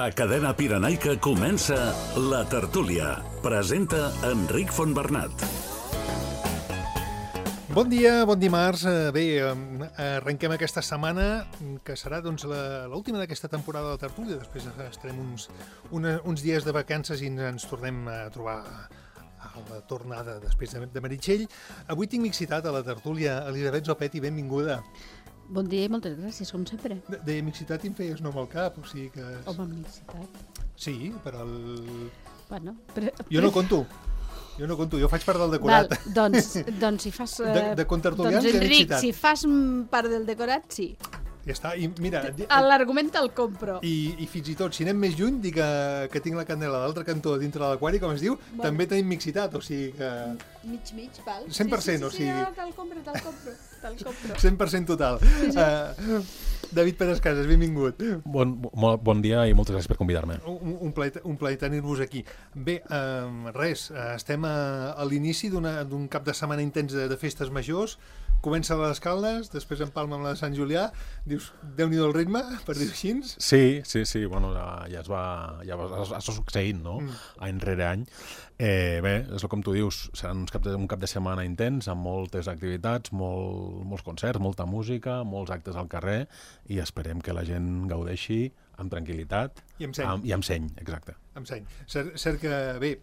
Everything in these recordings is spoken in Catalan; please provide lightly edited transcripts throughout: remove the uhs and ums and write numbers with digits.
A Cadena Pirenaica comença La Tertúlia. Presenta Enric Fontbernat. Bon dia, bon dimarts. Bé, arrenquem aquesta setmana, que serà l'última d'aquesta temporada de La Tertúlia. Després estarem uns dies de vacances i ens tornem a trobar a la tornada després de Meritxell. Avui tinc mixitat a La Tertúlia. Elisabet Zopetti, benvinguda. Bon dia i moltes gràcies, com sempre. De mixitat em feies nom al cap, o sigui que... Home, mixitat. Sí, però Bueno, Jo no conto, jo faig part del decorat. Val, doncs si fas... De contertulians doncs, i de Enric, mixitat. si fas part del decorat, sí. Ja està, i mira... L'argument te'l compro. I fins i tot, si anem més lluny, dic que tinc la candela a l'altre cantó dintre de l'aquari, com es diu, també tenim mixitat, o sigui que... Mig, val. 100%, o sigui... Sí, te'l compro. 100% total. Sí. David Pérez Casas, benvingut. Bon dia i moltes gràcies per convidar-me. Un plaer tenir-vos aquí. Bé, res, estem a l'inici d'un cap de setmana intens de festes majors. Comença a les Caldes, després empalma amb la de Sant Julià. Dius, Déu-n'hi-do el ritme, per dir-ho així? Sí, bueno, ja està succeint, no? Any rere any. Bé, és com tu dius, serà un cap de setmana intens, amb moltes activitats, molts concerts, molta música, molts actes al carrer, i esperem que la gent gaudeixi amb tranquil·litat i amb seny. I amb seny, exacte. Amb seny. Cert que, bé,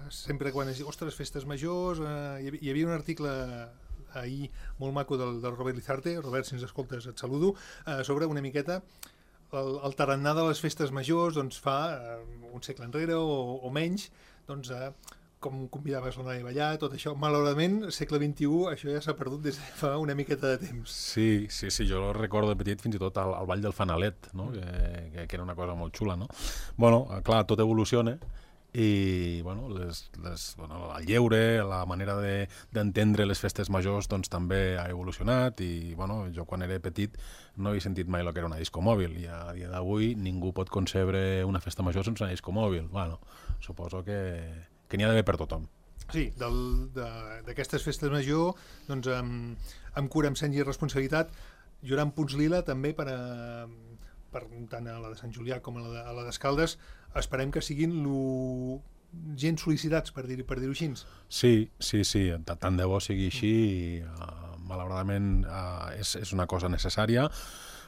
sempre quan es diu, ostres, festes majors, hi havia un article ahir molt maco del Robert Lizarte. Robert, si ens escoltes, et saludo, sobre una miqueta el tarannà de les festes majors, doncs fa un segle enrere o menys, doncs com convidaves la noia a ballar, tot això. Malauradament, segle XXI, això ja s'ha perdut des de fa una miqueta de temps. Sí, jo recordo de petit fins i tot el ball del fanalet, no? que era una cosa molt xula, no? Bueno, clar, tot evoluciona, i bueno, el lleure, la manera d'entendre les festes majors doncs també ha evolucionat, i bueno, jo quan era petit no havia sentit mai el que era una disco mòbil, i a dia d'avui ningú pot concebre una festa major sense una disco mòbil. Bueno, suposo que n'hi ha d'haver per tothom. Sí, d'aquestes festes major, doncs amb cura, amb seny i responsabilitat, hi haurà punts lila també per tant a la de Sant Julià com a la d'Escaldes. Esperem que siguin gent sol·licitats, per dir-ho així. Sí, tant de bo sigui així, i malauradament és una cosa necessària,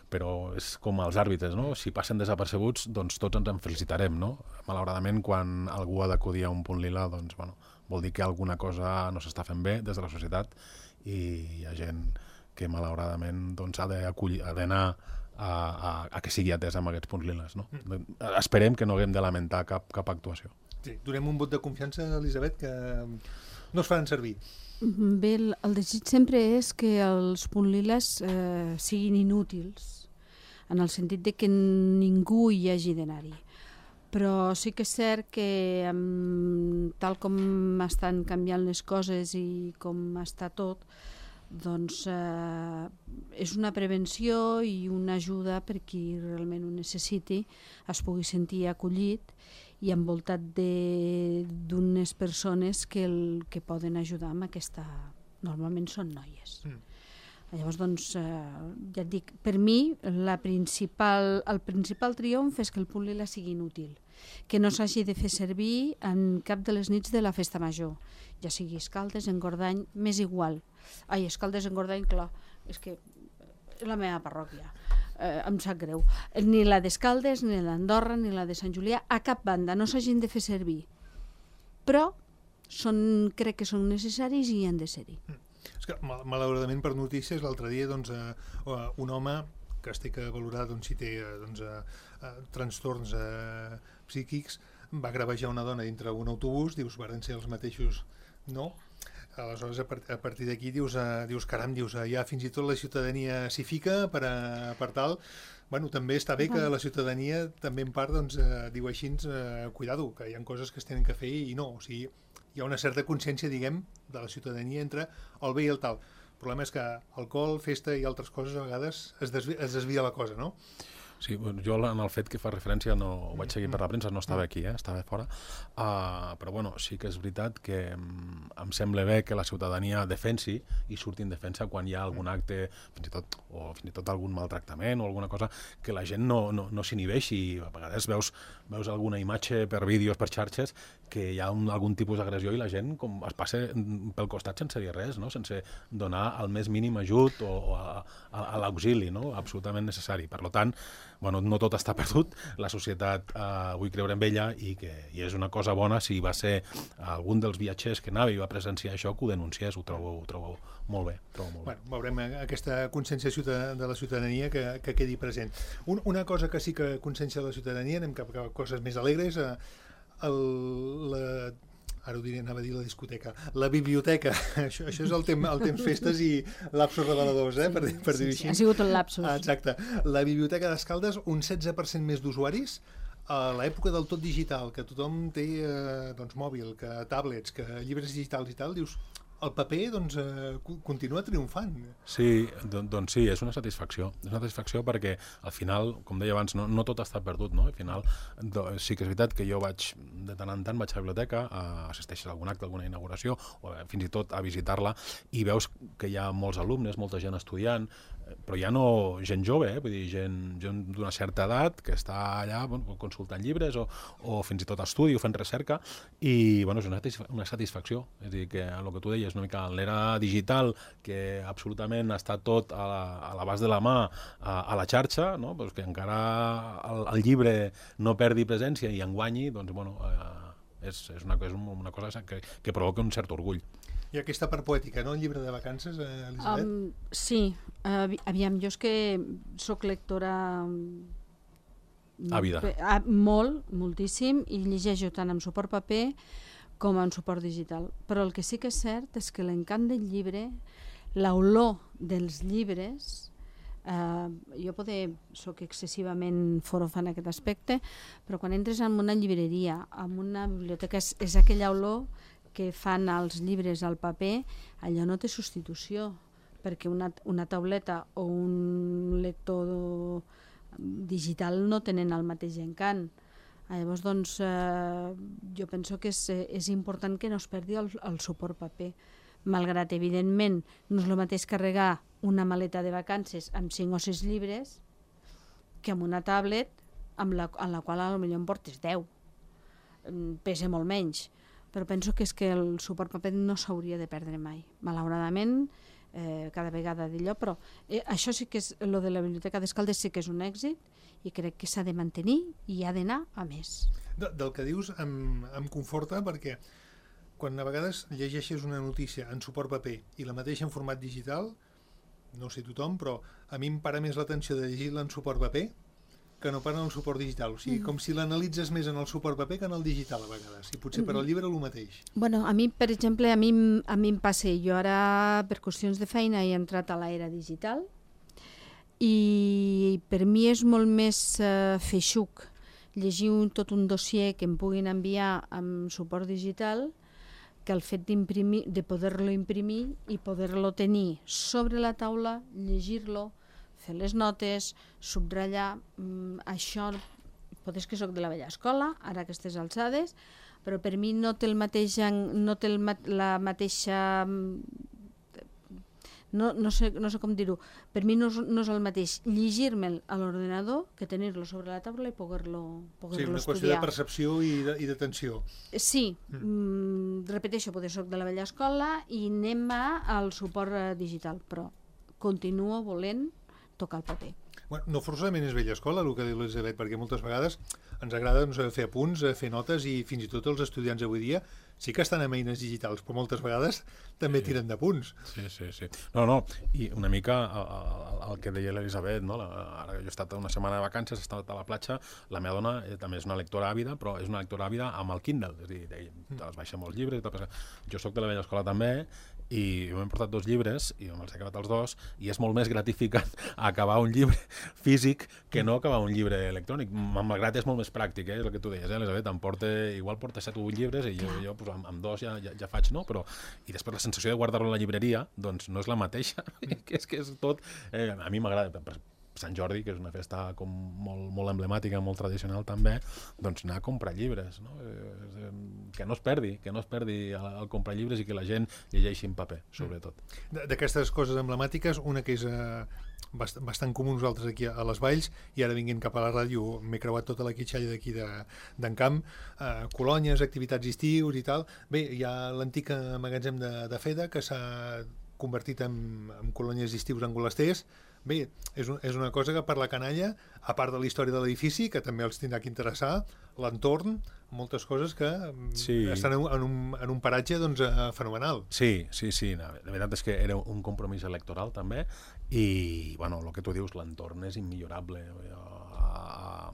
però és com els àrbitres, no? Si passen desapercebuts, doncs tots ens en felicitarem, no? Malauradament, quan algú ha d'acudir a un punt lila, doncs, bueno, vol dir que alguna cosa no s'està fent bé des de la societat, i hi ha gent que malauradament doncs, ha d'anar a que sigui atès amb aquests punts liles, no? Esperem que no haguem de lamentar cap actuació. Sí, donem un vot de confiança, Elisabet, que no es faran servir. Bé, el desig sempre és que els punts liles siguin inútils, en el sentit de que ningú hi hagi d'anar-hi. Però sí que és cert que tal com estan canviant les coses i com està tot, doncs és una prevenció i una ajuda per qui realment ho necessiti, es pugui sentir acollit i envoltat d'unes persones que poden ajudar amb aquesta... Normalment són noies. Llavors, doncs, ja et dic, per mi el principal triomf és que el punt lila sigui inútil, que no s'hagi de fer servir en cap de les nits de la festa major, ja sigui Escaldes, Engordany, m'és igual. Escaldes, Engordany, clar, és que és la meva parròquia, em sap greu. Ni la d'Escaldes, ni la d'Andorra, ni la de Sant Julià, a cap banda, no s'hagin de fer servir. Però crec que són necessaris i han de ser-hi. És que, malauradament, per notícies, l'altre dia un home que es té que valorar si té trastorns psíquics va gravejar una dona dintre un autobús, dius, varen ser els mateixos, no? Aleshores, a partir d'aquí dius, caram, ja fins i tot la ciutadania s'hi fica per tal. Bueno, també està bé que la ciutadania també en part diu així, cuidado, que hi ha coses que es tenen que fer i no, o sigui, hi ha una certa consciència, diguem, de la ciutadania entre el bé i el tal. El problema és que alcohol, festa i altres coses a vegades es desvia la cosa, no? Sí, jo en el fet que fa referència no ho vaig seguir per la premsa, no estava aquí, estava fora, però bueno, sí que és veritat que em sembla bé que la ciutadania defensi i surti en defensa quan hi ha algun acte, fins i tot algun maltractament o alguna cosa, que la gent no s'inhibeixi. A vegades veus alguna imatge per vídeos, per xarxes, que hi ha algun tipus d'agressió i la gent com es passa pel costat sense dir res, no? Sense donar el més mínim ajut o a l'auxili, no? Absolutament necessari. Per tant, no tot està perdut, la societat vull creure en ella i és una cosa bona si va ser algun dels viatgers que anava i va presenciar això que ho denunciés, ho trobo molt bé. Veurem aquesta consciència de la ciutadania que quedi present. Una cosa que sí que consciència de la ciutadania, anem cap a coses més alegres, ara ho diré, anava a dir la discoteca, la biblioteca, això és el temps festes i lapsos reveladors, per dir-ho així. Ha sigut un lapsus. Exacte. La biblioteca d'Escaldes, un 16% més d'usuaris, a l'època del tot digital, que tothom té mòbil, que tablets, que llibres digitals i tal, dius, el paper continua triomfant. Sí, doncs sí, és una satisfacció. És una satisfacció perquè al final, com deia abans, no tot està perdut, no? Al final sí que és veritat que jo de tant en tant vaig a la biblioteca, assisteixes a algun acte, alguna inauguració, o fins i tot a visitar-la, i veus que hi ha molts alumnes, molta gent estudiant, però ja no gent jove, vull dir, gent d'una certa edat que està allà consultant llibres o fins i tot estudi o fent recerca, i és una satisfacció. És a dir, que el que tu deies, una mica l'era digital, que absolutament està tot a l'abast de la mà a la xarxa, no? Pues que encara el llibre no perdi presència i en guanyi, és una cosa que provoca un cert orgull. I aquesta part poètica, no? El llibre de vacances, Elisabet? Sí. Aviam, jo és que soc lectora àvida. Moltíssim, i llegeixo tant en suport paper com en suport digital. Però el que sí que és cert és que l'encant del llibre, l'olor dels llibres, jo soc excessivament forofa en aquest aspecte, però quan entres en una llibreria, en una biblioteca, és aquella olor que fan els llibres al paper, allò no té substitució, perquè una tauleta o un lector digital no tenen el mateix encant. Llavors, jo penso que és important que no es perdi el suport paper, malgrat, evidentment, no és el mateix carregar una maleta de vacances amb 5 o 6 llibres que amb una tablet en la qual potser en portes 10. Pesa molt menys. Però penso que és que el suport paper no s'hauria de perdre mai. Malauradament, cada vegada d'allò, però això sí que és, lo de la Biblioteca d'Escaldes sí que és un èxit i crec que s'ha de mantenir i ha d'anar a més. Del que dius em conforta perquè quan a vegades llegeixes una notícia en suport paper i la mateixa en format digital, no sé tothom, però a mi em para més l'atenció de llegir-la en suport paper que no para en el suport digital. O sigui, com si l'analitzes més en el suport paper que en el digital a vegades. I potser per al llibre el mateix. Bueno, a mi, per exemple, a mi em passa. Jo ara, per qüestions de feina, he entrat a l'era digital i per mi és molt més feixuc llegir tot un dossier que em puguin enviar amb suport digital que el fet de poder-lo imprimir i poder-lo tenir sobre la taula, llegir-lo, fer les notes, subratllar, això, potser que soc de la vella escola, ara aquestes alçades, però per mi no té la mateixa... No sé com dir-ho, per mi no és el mateix llegir-me'l a l'ordenador que tenir-lo sobre la taula i poder-lo estudiar. Sí, una qüestió de percepció i d'atenció. Sí, repeteixo, potser soc de la vella escola i anem al suport digital, però continuo volent tocar el paper. No forçosament és vella escola el que diu l'Elisabet, perquè moltes vegades ens agrada fer apunts, fer notes i fins i tot els estudiants avui dia sí que estan amb eines digitals, però moltes vegades també tiren de punts. Sí. No, i una mica el que deia l'Elisabet, no? Ara jo he estat una setmana de vacances, he estat a la platja, la meva dona també és una lectora àvida, però és una lectora àvida amb el Kindle, és a dir, te les baixa molts llibres, jo sóc de la vella escola també, i m'he portat 2 llibres i me'ls he acabat els 2 i és molt més gratificant acabar un llibre físic que no acabar un llibre electrònic. Malgrat és molt més pràctic, és el que tu deies, Elisabet, igual porta 7 o 8 llibres i jo pues, amb 2 ja faig, no? Però, i després la sensació de guardar-lo a la llibreria doncs no és la mateixa, és que és tot... a mi m'agrada, Sant Jordi, que és una festa com molt emblemàtica, molt tradicional també, doncs anar a comprar llibres, no? Que no es perdi el comprar llibres i que la gent llegeixi en paper, sobretot. D'aquestes coses emblemàtiques, una que és bastant comú nosaltres aquí a les Valls, i ara vinguent cap a la ràdio m'he creuat tota la quitxalla d'aquí d'en Camp, colònies, activitats estius i tal. Bé, hi ha l'antic magatzem de Feda, que s'ha convertit en colònies estius angolesters. Bé, és una cosa que per la canalla, a part de la història de l'edifici, que també els tindrà que interessar, l'entorn, moltes coses que estan en un paratge doncs, fenomenal. Sí. La veritat és que era un compromís electoral també, i bueno, el que tu dius, l'entorn és immillorable.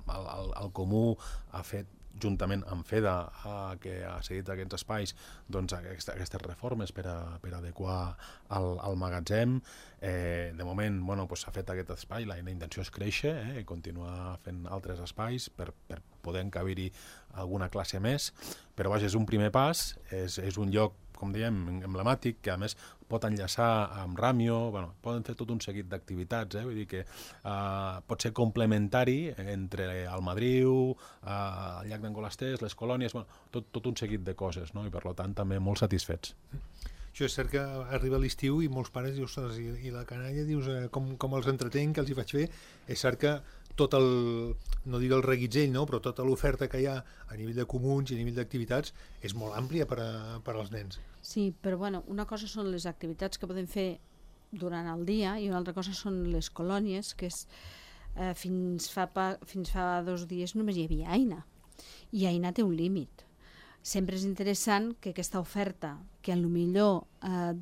El Comú ha fet, juntament amb FEDA, que ha cedit aquests espais, doncs aquestes reformes per adequar el magatzem. De moment s'ha fet aquest espai, la intenció és créixer i continuar fent altres espais per poder encabir-hi alguna classe més, però vaja, és un primer pas, és un lloc, com dèiem, emblemàtic, que a més pot enllaçar amb Ràmio, poden fer tot un seguit d'activitats, vull dir que pot ser complementari entre el Madriu, el llac d'Angolasters, les colònies, tot un seguit de coses, no? I per tant també molt satisfets. Això és cert que arriba l'estiu i molts pares dius, i la canalla, dius, com els entretenc, que els hi faig fer. És cert que tot no diré el reguitzell, no? Però tota l'oferta que hi ha a nivell de comuns i a nivell d'activitats és molt àmplia per als nens. Sí, però una cosa són les activitats que podem fer durant el dia i una altra cosa són les colònies, que és, fins fa 2 dies només hi havia Aina, i Aina té un límit. Sempre és interessant que aquesta oferta, que potser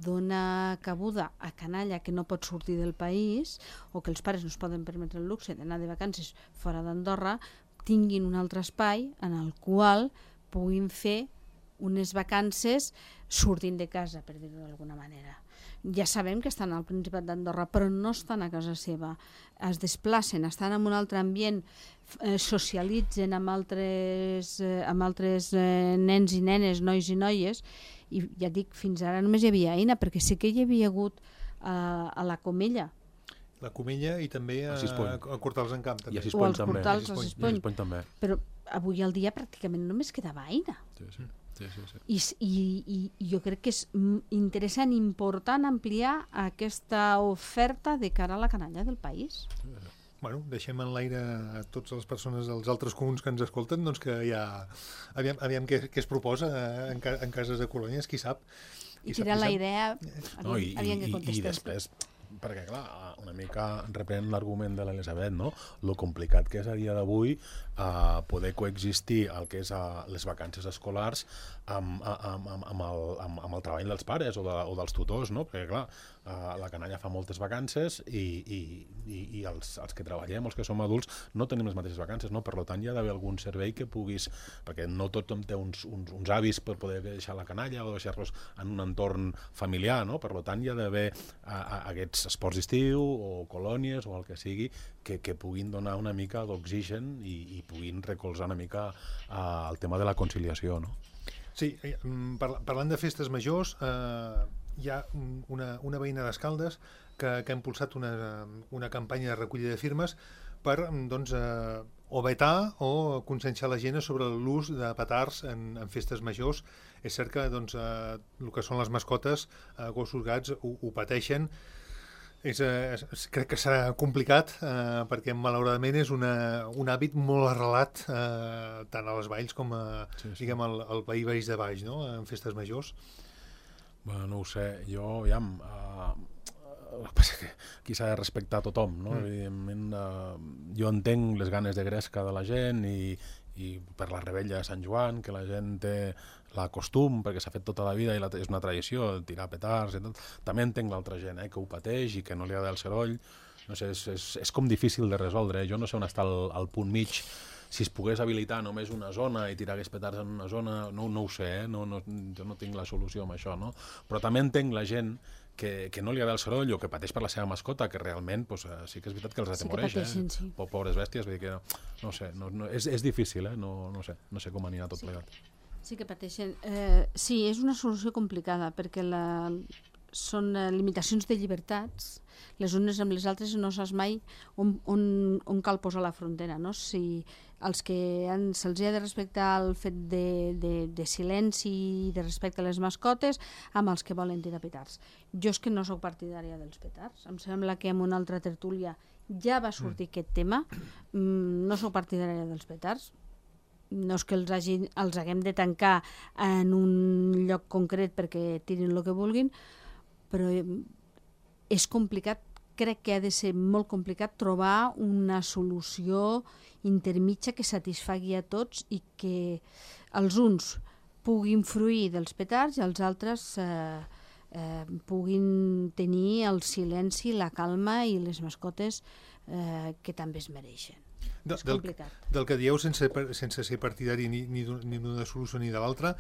dona cabuda a canalla que no pot sortir del país o que els pares no es poden permetre el luxe d'anar de vacances fora d'Andorra, tinguin un altre espai en el qual puguin fer unes vacances sortint de casa, per dir-ho d'alguna manera. Ja sabem que estan al Principat d'Andorra, però no estan a casa seva. Es desplacen, estan en un altre ambient, socialitzen amb altres nens i nenes, nois i noies, i ja dic, fins ara només hi havia Aina, perquè sí que hi havia hagut a la Comella. La Comella i també a Cortals en Camp. I a o als Cortals, a Sispony també. Però avui al dia pràcticament només quedava Aina. Sí. I jo crec que és interessant i important ampliar aquesta oferta de cara a la canalla del país. Bueno, deixem en l'aire a totes les persones dels altres comuns que ens escolten, doncs que ja aviam què es proposa en cases de colònies, qui sap. I tirar la idea, aviam què contestes. I després, perquè clar, una mica reprenent l'argument de l'Elisabet, no? Lo complicat que és a dia d'avui poder coexistir el que és les vacances escolars amb el treball dels pares o dels tutors, no? Perquè clar, la canalla fa moltes vacances i els que treballem, els que som adults, no tenim les mateixes vacances, no? Per tant, hi ha d'haver algun servei que puguis, perquè no tothom té uns avis per poder deixar la canalla o deixar-los en un entorn familiar, no? Per tant, hi ha d'haver aquests esports d'estiu o colònies o el que sigui que puguin donar una mica d'oxigen i puguin recolzar una mica el tema de la conciliació, no? Sí, parlant de festes majors, hi ha una veïna d'Escaldes que ha impulsat una campanya de recollida de firmes per o vetar o conscienciar la gent sobre l'ús de petards en festes majors. És cert que el que són les mascotes, gossos, gats, ho pateixen. Crec que serà complicat perquè malauradament és un hàbit molt arrelat tant a les Valls com diguem, al País de Baix, no? En festes majors. Bueno, no ho sé, jo el que passa que aquí s'ha de respectar a tothom, no? Evidentment, jo entenc les ganes de gresca de la gent i per la rebella de Sant Joan, que la gent té la costum, perquè s'ha fet tota la vida i és una tradició, tirar petards i tot. També entenc l'altra gent, que ho pateix i que no li agrada el soroll. No sé, és com difícil de resoldre. Jo no sé on està el punt mig. Si es pogués habilitar només una zona i tirar aquests petards en una zona, no ho sé, jo no tinc la solució amb això, no? Però també entenc la gent que no li agrada el soroll o que pateix per la seva mascota, que realment sí que és veritat que els atemoreix, sí. Pobres bèsties, vull dir que no sé, és difícil, no sé com anirà tot plegat. Sí que pateixen. Sí, és una solució complicada, perquè són limitacions de llibertats, les unes amb les altres no saps mai on cal posar la frontera, no? Si els que se'ls ha de respectar el fet de silenci i de respecte a les mascotes amb els que volen tirar petards. Jo és que no sóc partidària dels petards, em sembla que en una altra tertúlia ja va sortir aquest tema, no sóc partidària dels petards, no és que els haguem de tancar en un lloc concret perquè tirin el que vulguin, però és complicat, crec que ha de ser molt complicat trobar una solució intermitja que satisfagui a tots i que els uns puguin fruir dels petards i els altres puguin tenir el silenci, la calma i les mascotes que també es mereixen. És complicat. Del que dieu sense ser partidari ni d'una solució ni de l'altra,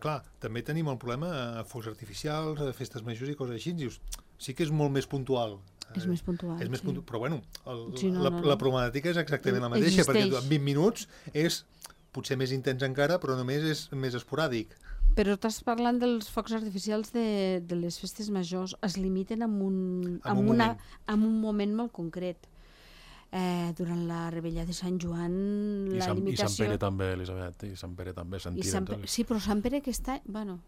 clar, també tenim el problema a focs artificials, a festes majors i coses així. Dius, sí que és molt més puntual. És més puntual, sí. Però bueno, la problemàtica és exactament la mateixa, perquè en 20 minuts és potser més intens encara, però només és més esporàdic. Però estàs parlant dels focs artificials de les festes majors. Es limiten en un moment molt concret. Durant la rebella de Sant Joan, la limitació... I Sant Pere també, Elisabet, i Sant Pere també sentit. Sí, però Sant Pere aquest any... Bueno,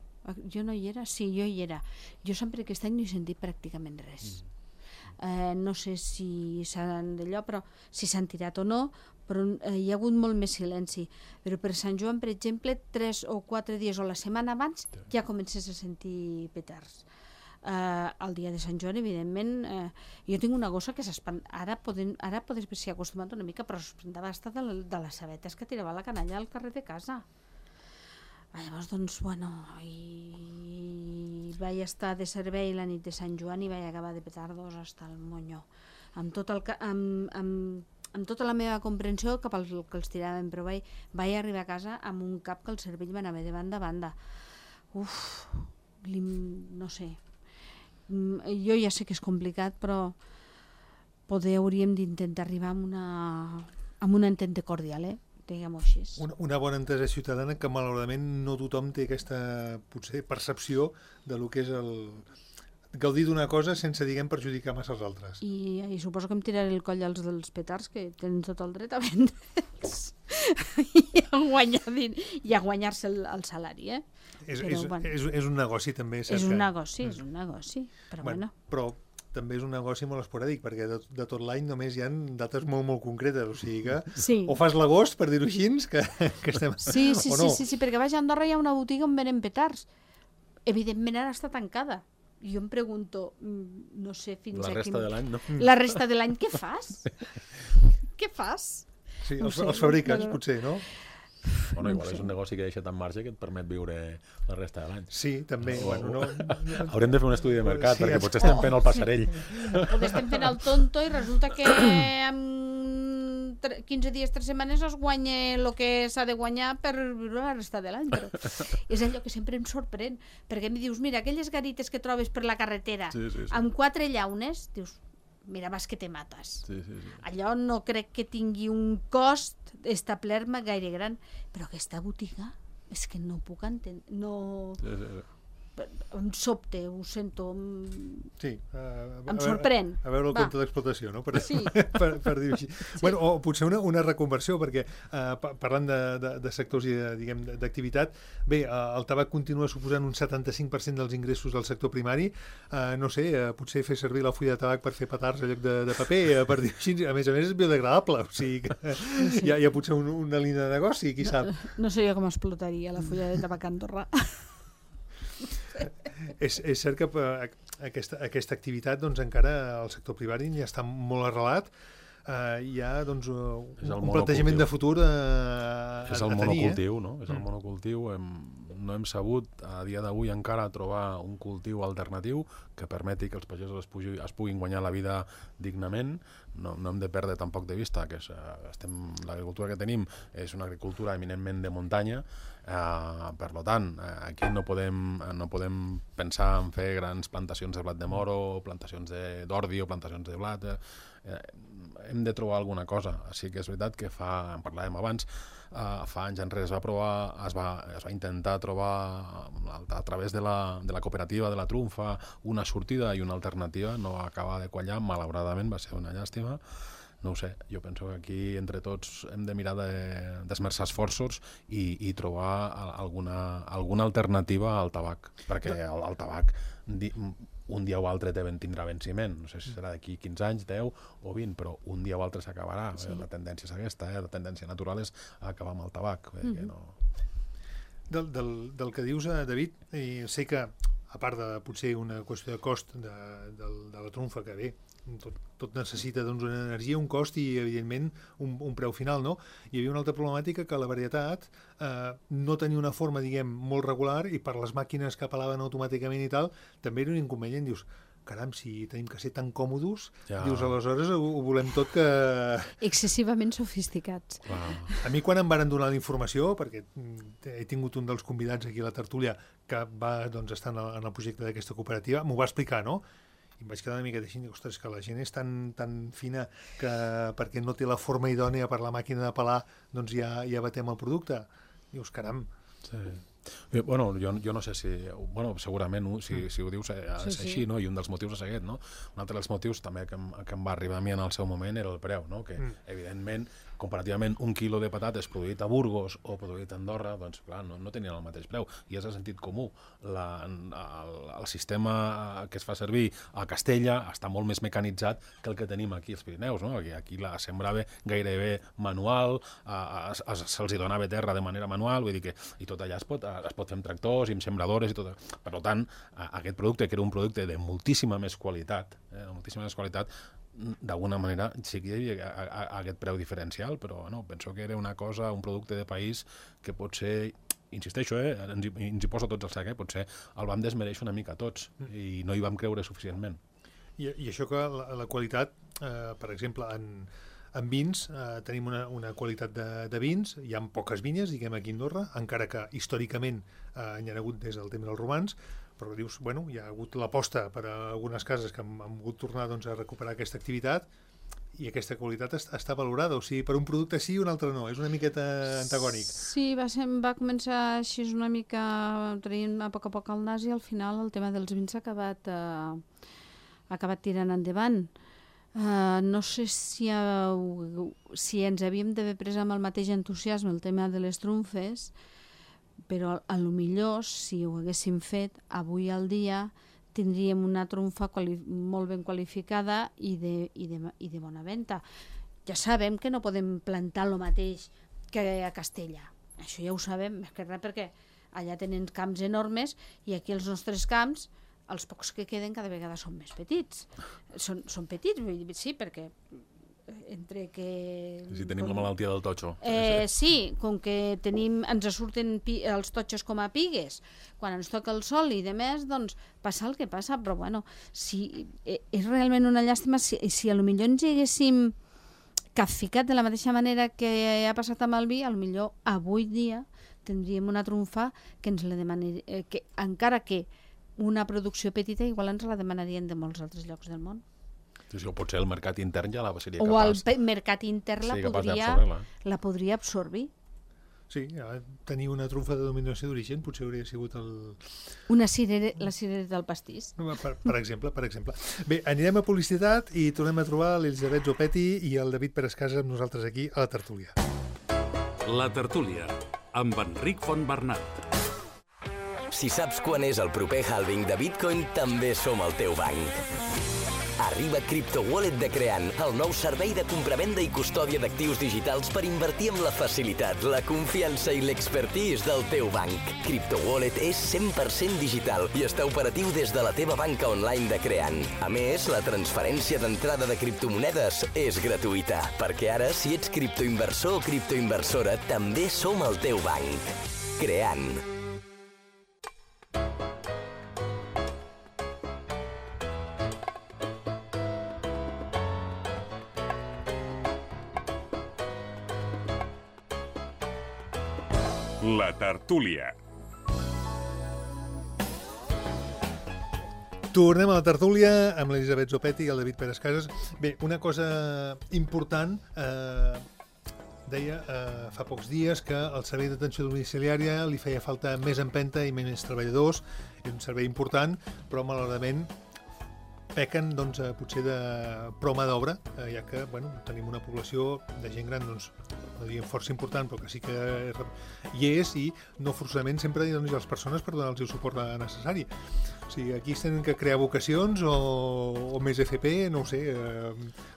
jo no hi era, sí, jo hi era. Jo Sant Pere aquest any no he sentit pràcticament res. No sé si s'han d'allò, però si s'han tirat o no, però hi ha hagut molt més silenci. Però per Sant Joan, per exemple, 3 o 4 dies o la setmana abans ja comences a sentir petards. El dia de Sant Joan, evidentment, jo tinc una gossa que s'espanta, ara podes s'hi ha acostumat una mica, però s'espantava estar de les sabetes que tirava la canalla al carrer de casa. Llavors, doncs, bueno, i vaig estar de servei la nit de Sant Joan i vaig acabar de petardos hasta el monyo, amb tota la meva comprensió cap al que els tiraven, però vaig arribar a casa amb un cap que el cervell m'anava de banda a banda. No sé, jo ja sé que és complicat, però poder hauríem d'intentar arribar amb una entente cordial, diguem-ho així. Una bona entesa ciutadana que malauradament no tothom té aquesta potser percepció de lo que és el gaudir d'una cosa sense, diguem, perjudicar massa els altres. I suposo que em tiraré el coll dels petards, que tenen tot el dret a vendre'ls i a guanyar-se el salari, És un negoci també. És un negoci, però bueno. Però també és un negoci molt esporàdic, perquè de tot l'any només hi ha dates molt, molt concretes, o sigui que o fas l'agost, per dir-ho així, que estem... Sí, perquè vaig a Andorra hi ha una botiga on venen petards. Evidentment ara està tancada. Jo em pregunto, no sé fins a quin... La resta de l'any, no? La resta de l'any, què fas? Què fas? Sí, els fabricants, potser, no? Bueno, igual és un negoci que deixa tant marge que et permet viure la resta de l'any. Sí, també. Haurem de fer un estudi de mercat, perquè potser estem fent el passarell. Potser estem fent el tonto i resulta que en 15 dies, 3 setmanes es guanya el que s'ha de guanyar per viure la resta de l'any. Però és allò que sempre em sorprèn, perquè em dius, mira, aquelles garites que trobes per la carretera amb 4 llaunes, dius, mira, vas que te mates. Allò no crec que tingui un cost establert-me gaire gran, però aquesta botiga és que no puc entendre, no... Em sobte, ho sento, em sorprèn. A veure el compte d'explotació, no? Per dir-ho així. Bueno, o potser una reconversió, perquè parlant de sectors i d'activitat, bé, el tabac continua suposant un 75% dels ingressos del sector primari. No sé, potser fer servir la fulla de tabac per fer petards en lloc de paper, per dir-ho així, a més és biodegradable, o sigui que hi ha potser una línia de negoci, qui sap. No sé jo com explotaria la fulla de tabac a Andorra. És cert que aquesta activitat doncs, encara el sector primari ja està molt arrelat, hi ha doncs, un plantejament de futur a tenir. És el monocultiu, no? És el monocultiu. No hem sabut a dia d'avui encara trobar un cultiu alternatiu que permeti que els pagesos es puguin guanyar la vida dignament. No hem de perdre tampoc de vista que l'agricultura que tenim és una agricultura eminentment de muntanya. Per tant, aquí no podem pensar en fer grans plantacions de blat de moro, plantacions d'ordi o plantacions de blat. hem de trobar alguna cosa. Sí que és veritat que en parlàvem abans, fa anys enrere es va intentar trobar a través de la cooperativa de la Trumfa una sortida i una alternativa, no va acabar de quallar, malauradament va ser una llàstima. No ho sé, jo penso que aquí entre tots hem de mirar d'esmerçar esforços i trobar alguna alternativa al tabac, perquè el tabac un dia o altre tindrà venciment, no sé si serà d'aquí 15 anys, 10 o 20, però un dia o altre s'acabarà. Sí. La tendència és aquesta, la tendència natural és acabar amb el tabac. Del que dius, David, i sé que, a part de potser una qüestió de cost de la Trumfa, que bé, tot necessita doncs, una energia, un cost i, evidentment, un preu final, no? Hi havia una altra problemàtica que la varietat no tenia una forma, diguem, molt regular i per les màquines que apel·laven automàticament i tal, també era un inconvenient. Dius, caram, si tenim que ser tan còmodos, dius, aleshores ho volem tot que... Excessivament sofisticats. A mi quan em varen donar la informació, perquè he tingut un dels convidats aquí a la tertúlia que va estar en el projecte d'aquesta cooperativa, m'ho va explicar, no? I em vaig quedar una miqueta així, ostres, que la gent és tan fina que perquè no té la forma idònia per la màquina de pelar, doncs ja batem el producte. Dius, caram. Sí. Bueno, jo no sé si... Bueno, segurament, si ho dius, és així, no? I un dels motius és aquest, no? Un altre dels motius també que em va arribar a mi en el seu moment era el preu, no? Que, evidentment, comparativament, un quilo de patates produït a Burgos o produït a Andorra, doncs, clar, no tenien el mateix preu. I és el sentit comú. El sistema que es fa servir a Castella està molt més mecanitzat que el que tenim aquí als Pirineus, no? Aquí la sembrava gairebé manual, se'ls donava terra de manera manual, vull dir que i tot allà es pot fer amb tractors i amb sembradores i tot. Per tant, aquest producte, que era un producte de moltíssima més qualitat, d'alguna manera sí que hi havia aquest preu diferencial, però no, penso que era un producte de país que potser, insisteixo, ens hi posa tots el sac, potser el vam desmereixer una mica tots i no hi vam creure suficientment. I això que la qualitat, per exemple, en vins, tenim una qualitat de vins, hi ha poques vinyes, diguem, aquí a Andorra, encara que històricament hi ha hagut des del temps dels romans, però dius, bueno, hi ha hagut l'aposta per a algunes cases que han volgut tornar a recuperar aquesta activitat i aquesta qualitat està valorada, o sigui, per un producte sí i un altre no, és una miqueta antagònic. Sí, va començar així una mica traient a poc al nas i al final el tema dels vins ha acabat tirant endavant. No sé si ens havíem d'haver pres amb el mateix entusiasme el tema de les trumfes, però a lo millor, si ho haguéssim fet, avui al dia tindríem una trumfa molt ben qualificada i de bona venda. Ja sabem que no podem plantar el mateix que a Castella. Això ja ho sabem, més que res perquè allà tenen camps enormes i aquí els nostres camps, els pocs que queden cada vegada són més petits. Són petits, sí, perquè entre que... Si tenim la malaltia del totxo. Sí, com que ens surten els totxos com a pigues, quan ens toca el sol i de més, doncs passa el que passa, però bueno, és realment una llàstima si potser ens hi haguéssim capficat de la mateixa manera que ha passat amb el vi, potser avui dia tindríem una trumfa que ens la demanaria, que encara que una producció petita igual ens la demanarien de molts altres llocs del món. Sí, o potser el mercat intern ja seria capaç. O el mercat intern la podria absorbir. Sí, tenir una trumfa de denominació d'origen potser hauria sigut la cirereta del pastís. Per exemple. Bé, anirem a publicitat i tornem a trobar l'Elisabet Zopetti i el David Perescasa amb nosaltres aquí a la tertúlia. La tertúlia, amb Enric Fontbernat. Si saps quan és el proper halving de Bitcoin, també som el teu banc. Arriba CryptoWallet de Creant, el nou servei de compravenda i custòdia d'actius digitals per invertir amb la facilitat, la confiança i l'expertise del teu banc. CryptoWallet és 100% digital i està operatiu des de la teva banca online de Creant. A més, la transferència d'entrada de criptomonedes és gratuïta, perquè ara, si ets criptoinversor o criptoinversora, també som el teu banc. Creant. La tertúlia. Tornem a la tertúlia amb l'Elisabet Zopetti i el David Pérez Casas. Bé, una cosa important, deia fa pocs dies que el servei d'atenció domiciliària li feia falta més empenta i més treballadors, és un servei important, però malauradament pequen doncs, potser de prou mà d'obra, ja que tenim una població de gent gran, doncs, no diguem força important, però que sí que hi és, i no forçosament sempre hi ha les persones per donar-los el suport necessari. O sigui, aquí es tenen que crear vocacions o més FP, no ho sé,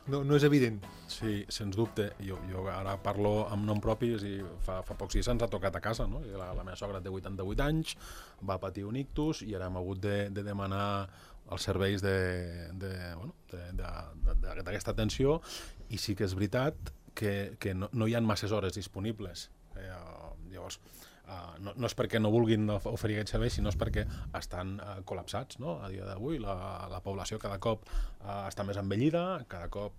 no és evident. Sí, sens dubte. Jo ara parlo amb nom propi, i fa pocs dies ens ha tocat a casa, no? La meva sogra té 88 anys, va patir un ictus i ara hem hagut de demanar els serveis d'aquesta atenció, i sí que és veritat que no hi ha masses hores disponibles. Llavors, no és perquè no vulguin oferir aquests serveis, sinó és perquè estan col·lapsats, no? A dia d'avui la població cada cop està més envellida, cada cop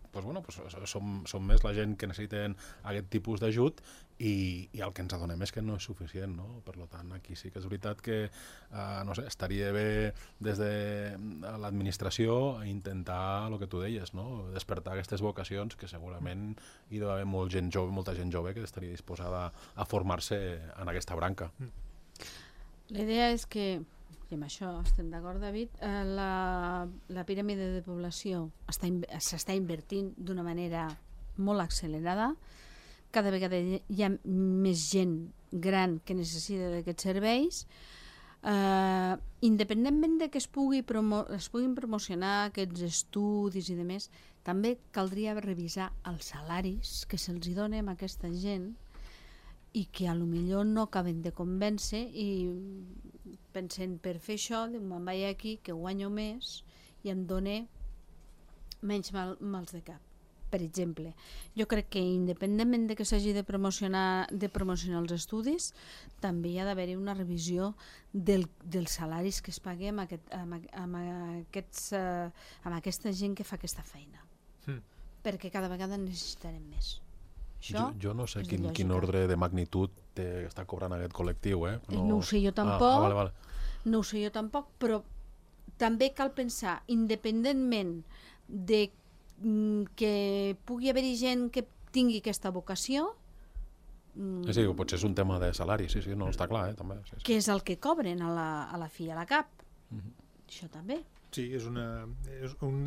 som més la gent que necessiten aquest tipus d'ajut, i el que ens adonem és que no és suficient, no? Per tant, aquí sí que és veritat que no sé, estaria bé des de l'administració intentar el que tu deies, no? Despertar aquestes vocacions, que segurament hi deu haver molta gent jove que estaria disposada a formar-se en aquesta branca. La idea és que, i amb això estem d'acord, David, la piràmide de població s'està invertint d'una manera molt accelerada. Cada vegada hi ha més gent gran que necessita d'aquests serveis. Independentment de que es puguin promocionar aquests estudis i demés, també caldria revisar els salaris que se'ls donen a aquesta gent i que potser no acaben de convèncer, i pensen, per fer això me'n vaig aquí que guanyo més i em dona menys mals de cap. Per exemple, jo crec que independentment de que s'hagi de promocionar els estudis, també hi ha d'haver-hi una revisió dels salaris que es paguen amb aquesta gent que fa aquesta feina, perquè cada vegada en necessitarem més. Jo no sé quin ordre de magnitud està cobrant aquest col·lectiu. No ho sé jo tampoc, no ho sé jo tampoc, però també cal pensar, independentment de que pugui haver-hi gent que tingui aquesta vocació, sí, potser és un tema de salari, sí, no està clar, també. Sí. Que és el que cobren a la fi, a la cap. Això també. Sí, és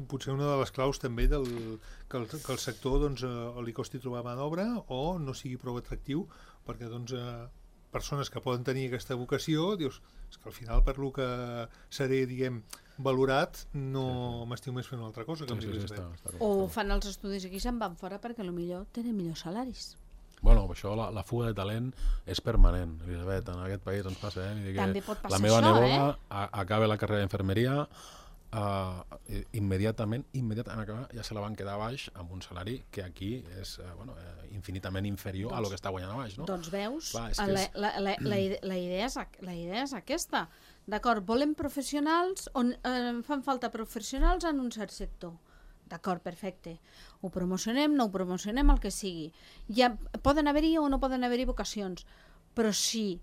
potser una de les claus també que el sector doncs, o li costi trobar mà d'obra o no sigui prou atractiu, perquè doncs, persones que poden tenir aquesta vocació, dius, és que al final per lo que seré, diguem, valorat, no m'estiu més fent una altra cosa. O fan els estudis aquí i se'n van fora perquè potser tenen millors salaris. Bueno, això, la fuga de talent és permanent, Elisabet, en aquest país ens passa, També pot passar la meva això, neboda acaba la carrera d'infermeria, immediatament acabar, ja se la van quedar a baix amb un salari que aquí és infinitament inferior a lo que està guanyant a baix, no? Doncs veus, la idea és aquesta. D'acord, volem professionals, fan falta professionals en un cert sector. D'acord, perfecte. Ho promocionem, no ho promocionem, el que sigui. Ja poden haver-hi o no poden haver-hi vocacions, però si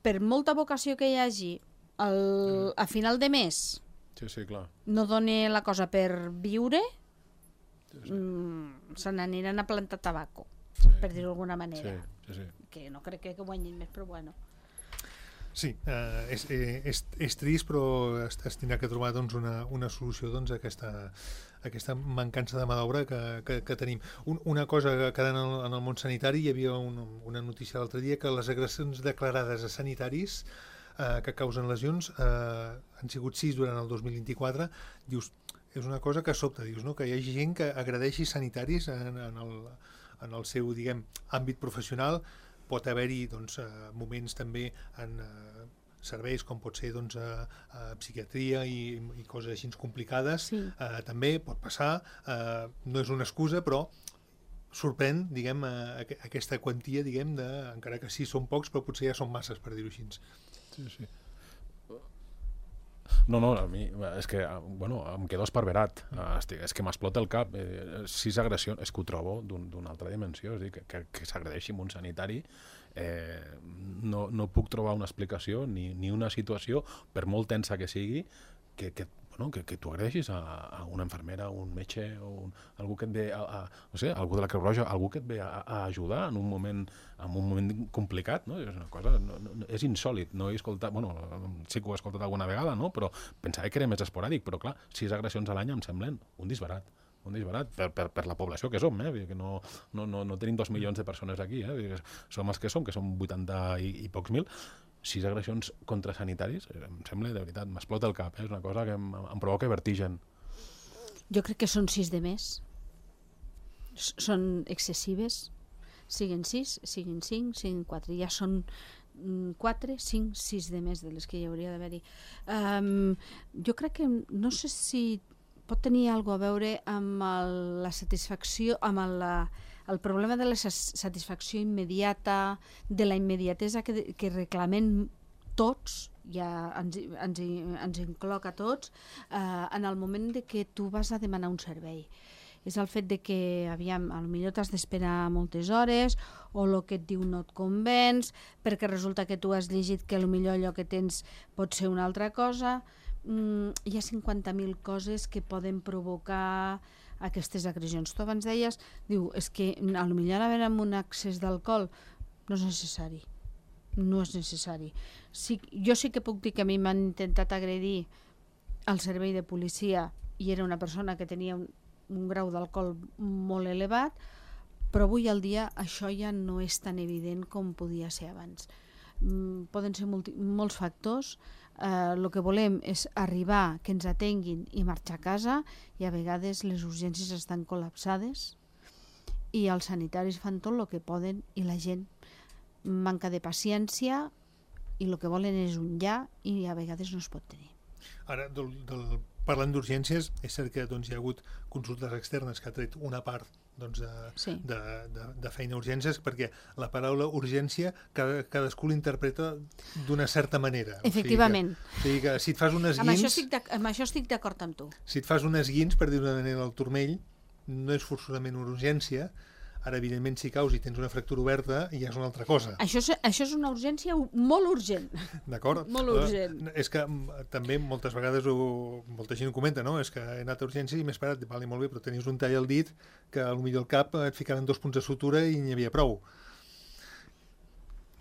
per molta vocació que hi hagi a final de mes clar, no doni la cosa per viure, se n'aniran a plantar tabaco, per dir-ho d'alguna manera. Que no crec que guanyin més, però bueno. Sí, és trist, però es tindrà que trobar doncs, una solució doncs, a aquesta mancança de mà d'obra que tenim. Una cosa que en el món sanitari, hi havia una notícia l'altre dia que les agressions declarades a sanitaris que causen lesions han sigut 6 durant el 2024. Dius, és una cosa que sobta, dius, no? Que hi hagi gent que agredeixi sanitaris en el seu, diguem, àmbit professional. Pot haver-hi doncs, moments també en serveis com pot ser doncs, psiquiatria i coses així complicades. Sí. També pot passar, no és una excusa, però sorprèn, diguem, aquesta quantia, diguem, encara que sí són pocs, però potser ja són masses, per dir-ho així. Sí. No, a mi és que, em quedo esparverat. És que m'explota el cap. 6 agressions, és que ho trobo d'una altra dimensió. És a dir, que s'agredeixi amb un sanitari, no puc trobar una explicació ni una situació, per molt tensa que sigui, que que tu agredeixis a una infermera, un metge, o algú que et ve no sé, algú de la Creu Roja, algú que et ve a ajudar en un moment complicat, no? És una cosa, és insòlit, no he escoltat, sí que ho he escoltat alguna vegada, no? Però pensava que era més esporàdic, però clar, 6 agressions a l'any em semblen un disbarat per la població que som, que no tenim 2 milions de persones aquí, som els que som 80 i pocs mil. 6 agressions contra sanitaris, em sembla, de veritat, m'explota el cap, és una cosa que em provoca vertigen. Jo crec que són 6 de més. Són excessives. Siguin 6, siguin 5, siguin 4. Ja són 4, 5, 6 de més de les que hi hauria d'haver-hi. Jo crec que, no sé si pot tenir alguna cosa a veure amb la satisfacció, amb el problema de la satisfacció immediata, de la immediatesa que reclamem tots, ja ens incloc a tots, en el moment de que tu vas a demanar un servei. És el fet de que, potser t'has d'esperar moltes hores, o el que et diu no et convenç, perquè resulta que tu has llegit que potser allò que tens pot ser una altra cosa. Hi ha 50.000 coses que poden provocar aquestes agressions. Tu abans deies, és que potser haver amb un excés d'alcohol no és necessari. No és necessari. Jo sí que puc dir que a mi m'han intentat agredir al servei de policia i era una persona que tenia un grau d'alcohol molt elevat, però avui al dia això ja no és tan evident com podia ser abans. Poden ser molts factors. El que volem és arribar, que ens atenguin i marxar a casa, i a vegades les urgències estan col·lapsades i els sanitaris fan tot el que poden i la gent manca de paciència i el que volen és un ja i a vegades no es pot tenir. Ara, parlant d'urgències, és cert que hi ha hagut consultes externes que ha tret una part de feina urgències, perquè la paraula urgència cadascú l'interpreta d'una certa manera. Efectivament. O sigui que si et fas un esguins... Amb això estic d'acord amb tu. Si et fas un esguins, per dir-ho d'una manera, al turmell, no és forçosament una urgència. Ara, evidentment, si caus i tens una fractura oberta, ja és una altra cosa. Això és una urgència molt urgent. D'acord? Molt urgent. És que també moltes vegades molta gent ho comenta, no? És que he anat a urgència i m'he esperat, vale, molt bé, però tenies un tall al dit que potser al cap et ficaven 2 punts de sutura i n'hi havia prou.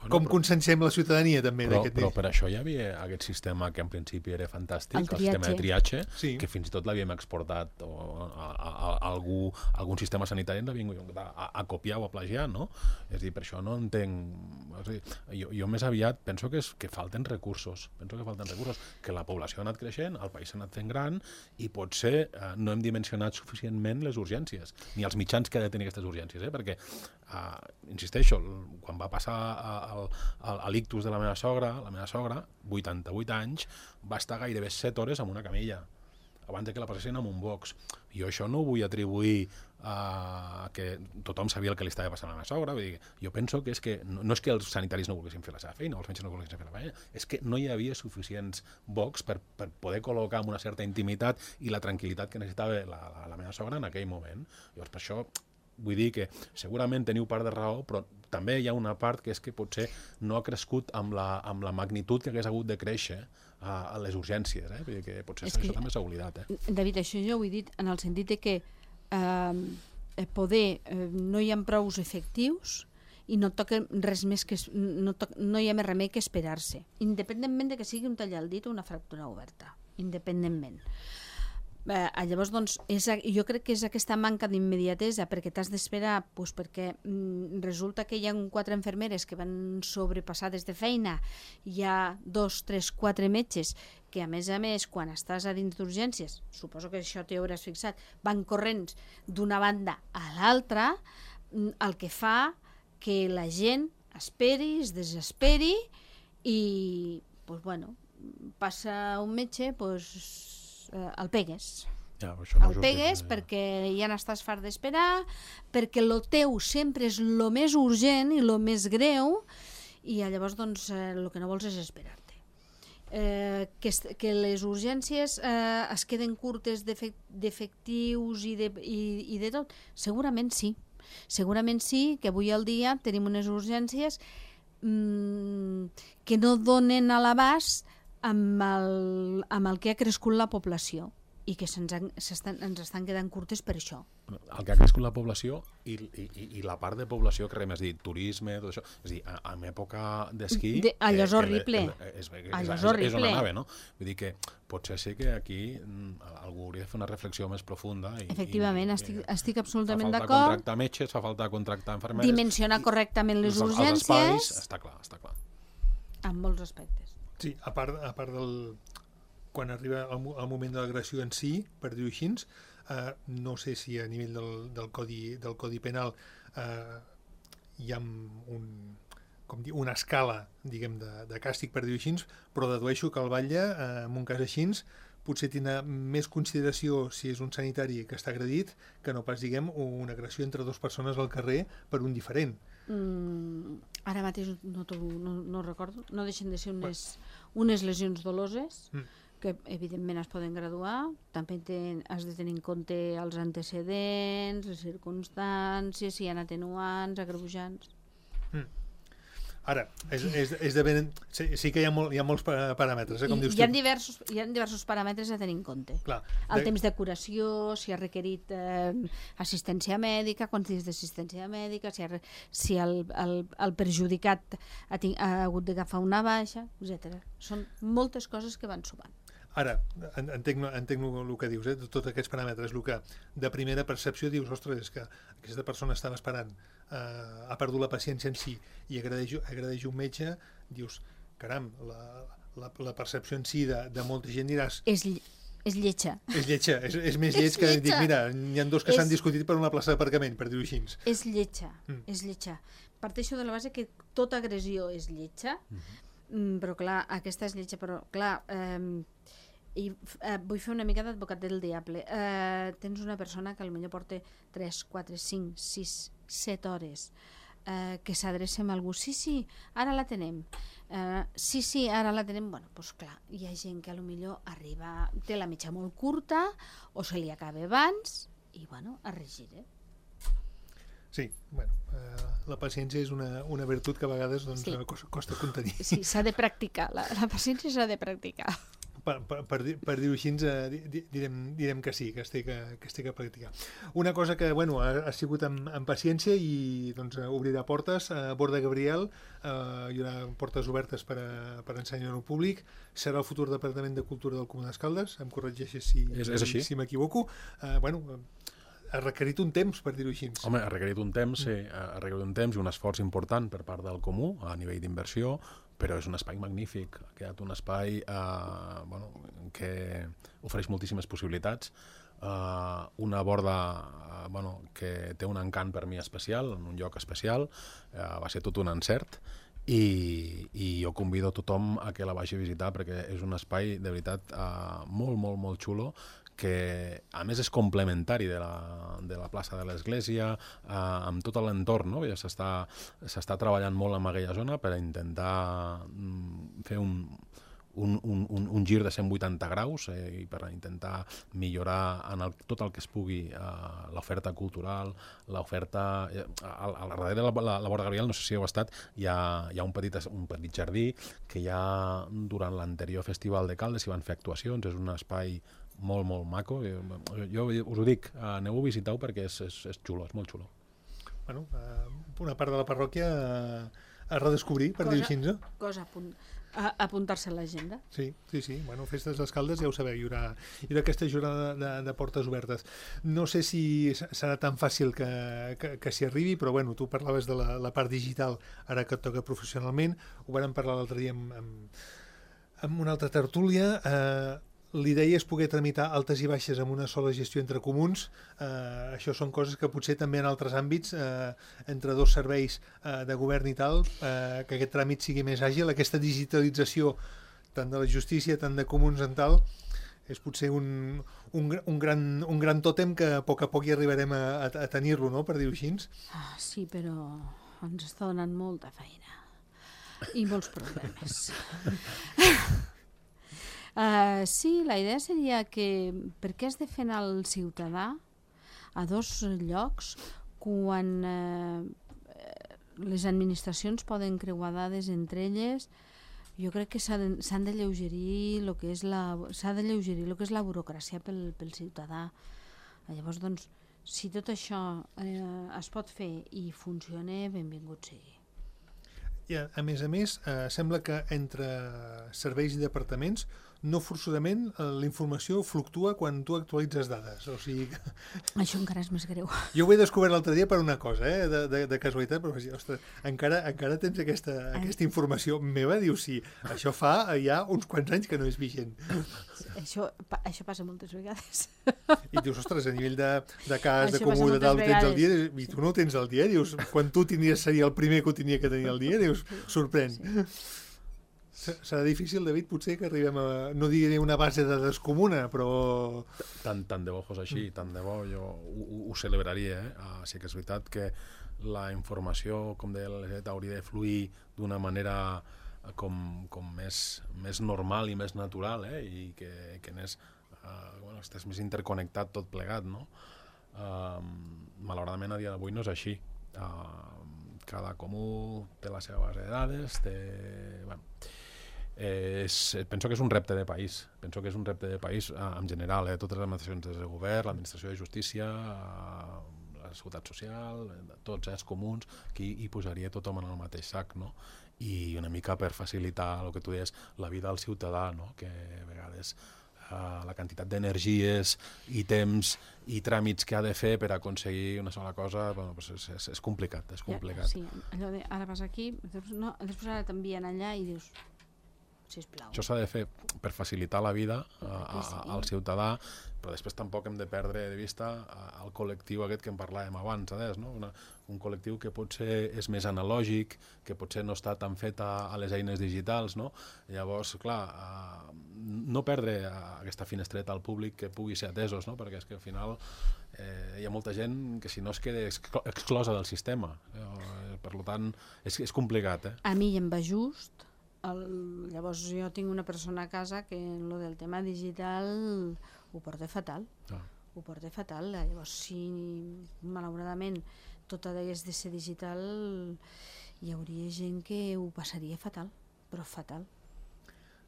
Com conscienciem la ciutadania també d'aquest Però per això hi havia aquest sistema que en principi era fantàstic, el sistema de triatge, que fins i tot l'havíem exportat a algun sistema sanitari ens l'havien a copiar o a plagiar, no? És a dir, per això no entenc... Jo més aviat penso que falten recursos, que la població ha anat creixent, el país s'ha anat fent gran i potser no hem dimensionat suficientment les urgències, ni els mitjans que ha de tenir aquestes urgències, perquè insisteixo, quan va passar a l'ictus de la meva sogra, 88 anys, va estar gairebé 7 hores en una camilla abans que la passessin amb un box. Jo això no ho vull atribuir a que tothom sabia el que li estava passant a la meva sogra. Vull dir, jo penso que és que no és que els sanitaris no volguessin fer la seva feina, els metges no volguessin fer la feina, és que no hi havia suficients box per poder col·locar amb una certa intimitat i la tranquil·litat que necessitava la meva sogra en aquell moment. Llavors, per això vull dir que segurament teniu part de raó, però també hi ha una part que és que potser no ha crescut amb la magnitud que hagués hagut de créixer a les urgències. Vull dir que potser això també s'ha oblidat. David, això jo ho he dit en el sentit de que no hi ha prous efectius i no toca res més que no hi ha més remei que esperar-se, independentment de que sigui un tall al dit o una fractura oberta, independentment. Llavors, doncs, jo crec que és aquesta manca d'immediatesa, perquè t'has d'esperar, perquè resulta que hi ha 4 infermeres que van sobrepassades de feina, hi ha 2, 3, 4 metges que, a més, quan estàs a dins d'urgències, suposo que això t'hi hauràs fixat, van corrents d'una banda a l'altra, el que fa que la gent esperi, es desesperi i, passa un metge, el pegues. El pegues perquè ja n'estàs fart d'esperar, perquè el teu sempre és el més urgent i el més greu i llavors el que no vols és esperar-te. Que les urgències es queden curtes d'efectius i de tot? Segurament sí. Segurament sí, que avui al dia tenim unes urgències que no donen a l'abast amb el que ha crescut la població i que ens estan quedant curtes per això. El que ha crescut la població i la part de població que més dit, turisme, tot això, és a dir, en època d'esquí... Allò és horrible. És on anava, no? Vull dir que potser sí que aquí algú hauria de fer una reflexió més profunda. Efectivament, estic absolutament d'acord. Fa falta contractar metges, fa falta contractar infermeres... Dimensionar correctament les urgències... Els espais, està clar. En molts aspectes. Sí, a part del... Quan arriba el moment de l'agressió en si, per dir-ho així, no sé si a nivell del codi penal hi ha una escala, diguem, de càstig, per dir-ho així, però dedueixo que el batlle, en un cas així, potser tindrà més consideració si és un sanitari que està agredit que no pas, diguem, una agressió entre dues persones al carrer per un diferent. Ara mateix no recordo, no deixen de ser unes lesions doloses que evidentment es poden graduar, també has de tenir en compte els antecedents, les circumstàncies, si hi ha atenuants, agreujants. Ara, sí que hi ha molts paràmetres, com dius tu. Hi ha diversos paràmetres a tenir en compte. Clar, el temps de curació, si ha requerit assistència mèdica, quants dies d'assistència mèdica, si el perjudicat ha hagut d'agafar una baixa, etc. Són moltes coses que van sumant. Ara, entenc el que dius, tots aquests paràmetres, el que de primera percepció dius, ostres, és que aquesta persona estava esperant, ha perdut la paciència en si i agradeix un metge, dius, caram, la percepció en si de molta gent diràs... És lletja. És lletja, és més lleig que dic, mira, n'hi ha dos que s'han discutit per una plaça d'aparcament, per dir-ho així. És lletja, és lletja. Parteixo de la base que tota agressió és lletja, però clar, aquesta és lletja, però clar... vull fer una mica d'advocat del diable. Tens una persona que potser porta 3, 4, 5, 6, 7 hores que s'adreça a algú, sí, ara la tenem, sí, ara la tenem. Bueno, doncs clar, hi ha gent que potser arriba, té la mitja molt curta o se li acaba abans i bueno, es regira. Sí, bueno, la paciència és una virtut que a vegades costa contenir. Sí, s'ha de practicar, la paciència s'ha de practicar. Per dir-ho així, direm que sí, que es té que practicar. Una cosa que ha sigut amb paciència i obrirà portes. A Borda Gabriel hi haurà portes obertes per ensenyar-ho públic. Serà el futur Departament de Cultura del Comú d'Escaldes, em corregeixes si m'equivoco. Ha requerit un temps, per dir-ho així. Home, ha requerit un temps i un esforç important per part del Comú a nivell d'inversió, però és un espai magnífic, ha quedat un espai que ofereix moltíssimes possibilitats, una borda que té un encant per mi especial, en un lloc especial, va ser tot un encert, i jo convido a tothom a que la vagi a visitar perquè és un espai de veritat molt, molt, molt xulo, que a més és complementari de la plaça de l'Església, amb tot l'entorn, no? Ja s'està treballant molt en aquella zona per intentar fer un gir de 180 graus i per intentar millorar tot el que es pugui l'oferta cultural, l'oferta... Al darrere de la Borda Gabriel, no sé si heu estat, hi ha un petit jardí que ja durant l'anterior Festival de Caldes hi van fer actuacions, és un espai molt, molt maco. Jo us ho dic, aneu a visitar-ho perquè és xulo, és molt xulo. Bueno, una part de la parròquia a redescobrir, per dir-ho així. Cosa a apuntar-se a l'agenda. Sí. Bueno, Festes d'Escaldes, ja ho sabeu, hi haurà aquesta jornada de portes obertes. No sé si serà tan fàcil que s'hi arribi, però bueno, tu parlaves de la part digital, ara que et toca professionalment, ho vàrem parlar l'altre dia amb una altra tertúlia. L'idea és poder tramitar altes i baixes amb una sola gestió entre comuns. Això són coses que potser també en altres àmbits, entre dos serveis de govern i tal, que aquest tràmit sigui més àgil. Aquesta digitalització tant de la justícia, tant de comuns en tal, és potser un gran tòtem que a poc hi arribarem a tenir-lo, no?, per dir-ho així. Sí, però ens està donant molta feina i molts problemes. Sí, la idea seria que per què has de fer anar el ciutadà a dos llocs quan les administracions poden creuar dades entre elles? Jo crec que s'han de lleugerir el que és la burocràcia pel ciutadà. Llavors, doncs, si tot això es pot fer i funciona, benvingut sigui. I a més, sembla que entre serveis i departaments no forçosament la informació fluctua quan tu actualitzes dades. O sigui que... Això encara és més greu. Jo ho he descobert l'altre dia per una cosa, de casualitat, però ostres, encara tens aquesta informació meva? Dius, sí, això fa ja uns quants anys que no és vigent. Això passa moltes vegades. I dius, ostres, a nivell de cas, de comú, de tal, ho tens al dia, i tu no ho tens al dia, dius, quan tu seria el primer que ho tenia que tenir al dia, dius, sorprèn. Sí. Serà difícil, David, potser que arribem a... No diré una base de dades comuna, però... Tant de bo fos així, tant de bo, jo ho celebraria. Sí que és veritat que la informació, com deia l'Elisabet, hauria de fluir d'una manera com més normal i més natural, i que estàs més interconnectat tot plegat, no? Malauradament a dia d'avui no és així. Cada comú té la seva base de dades, penso que és un repte de país. Penso que és un repte de país en general, totes les administracions de govern, l'administració de justícia, la seguretat social, tots els comuns, que hi posaria tothom en el mateix sac, no? I una mica per facilitar el que tu deies, la vida del ciutadà, no? Que a vegades la quantitat d'energies i temps i tràmits que ha de fer per aconseguir una sola cosa, és complicat, és complicat. Sí, allò de ara vas aquí, després ara t'envien allà i dius, sisplau. Això s'ha de fer per facilitar la vida al ciutadà, però després tampoc hem de perdre de vista el col·lectiu aquest que en parlàvem abans, no? Un col·lectiu que potser és més analògic, que potser no està tan fet a les eines digitals, no? Llavors, clar, no perdre aquesta finestreta al públic que pugui ser atesos, no? Perquè és que al final hi ha molta gent que si no es queda exclosa del sistema. Per tant, és complicat. A mi em va just. Llavors jo tinc una persona a casa que en lo del tema digital ho porta fatal. Ho porta fatal. Llavors, si malauradament tot hagués de ser digital, hi hauria gent que ho passaria fatal, però fatal.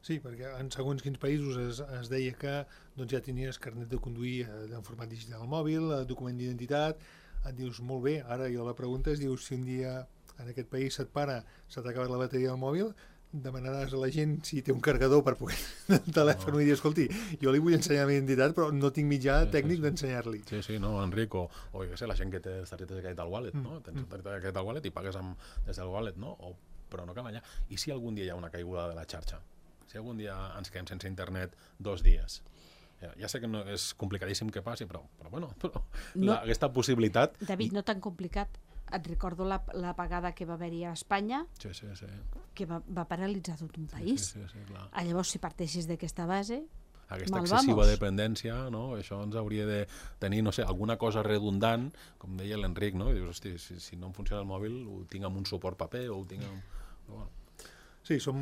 Sí, perquè en segons quins països es deia que ja tenies carnet de conduir en format digital al mòbil, document d'identitat, et dius, molt bé, ara jo la pregunta és, dius, si un dia en aquest país s'ha acabat la bateria del mòbil, demanaràs a la gent si té un carregador per poder el telèfon i dir, escolti, jo li vull ensenyar la meva identitat però no tinc mitjà tècnic d'ensenyar-li. Sí, no, Enric, o jo què sé, la gent que té targetes de crèdit al wallet, no? Tens targeta de crèdit al wallet i pagues des del wallet, no? Però no cal allà. I si algun dia hi ha una caiguda de la xarxa? Si algun dia ens quedem sense internet 2 dies? Ja sé que no és complicadíssim que passi, però aquesta possibilitat... David, no tan complicat. Et recordo l'apagada que va haver-hi a Espanya, que va paralitzar tot un país. Sí, clar. Llavors, si parteixis d'aquesta base, aquesta excessiva dependència, no? Això ens hauria de tenir, no sé, alguna cosa redundant, com deia l'Enric, no? I dius, hosti, si no em funciona el mòbil, ho tinc amb un suport paper o ho tinc amb... Bueno. Sí, som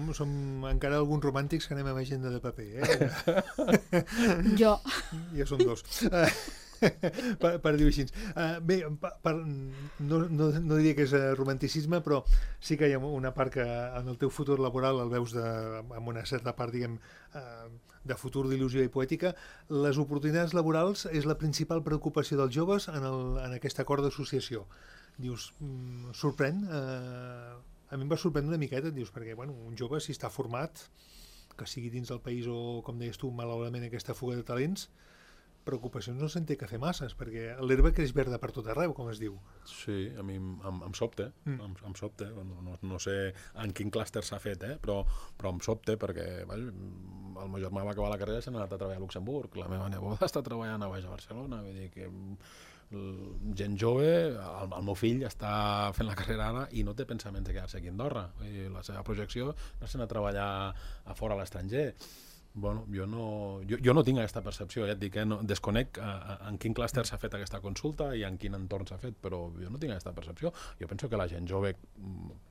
encara alguns romàntics que anem amb agenda de paper, Jo. Ja som 2. per dir-ho així. Bé, no diria que és romanticisme, però sí que hi ha una part que en el teu futur laboral el veus amb una certa part, diguem, de futur, d'il·lusió i poètica. Les oportunitats laborals és la principal preocupació dels joves en aquest acord d'associació. Dius, sorprèn? A mi em va sorprendre una miqueta, dius, perquè un jove, si està format, que sigui dins del país o, com deies tu, malauradament aquesta fuga de talents, preocupacions no se'n té que fer masses, perquè l'herba creix verda per tot arreu, com es diu. Sí, a mi em sobta, em sobta. No sé en quin clúster s'ha fet, però em sobta perquè el meu germà va acabar la carrera i s'ha anat a treballar a Luxemburg, la meva neboda està treballant a baix a Barcelona, vull dir que gent jove, el meu fill està fent la carrera ara i no té pensaments de quedar-se aquí a Andorra. La seva projecció no és anar a treballar a fora a l'estranger. Bueno, jo no tinc aquesta percepció, ja et dic, desconec en quin clúster s'ha fet aquesta consulta i en quin entorn s'ha fet, però jo no tinc aquesta percepció. Jo penso que la gent jove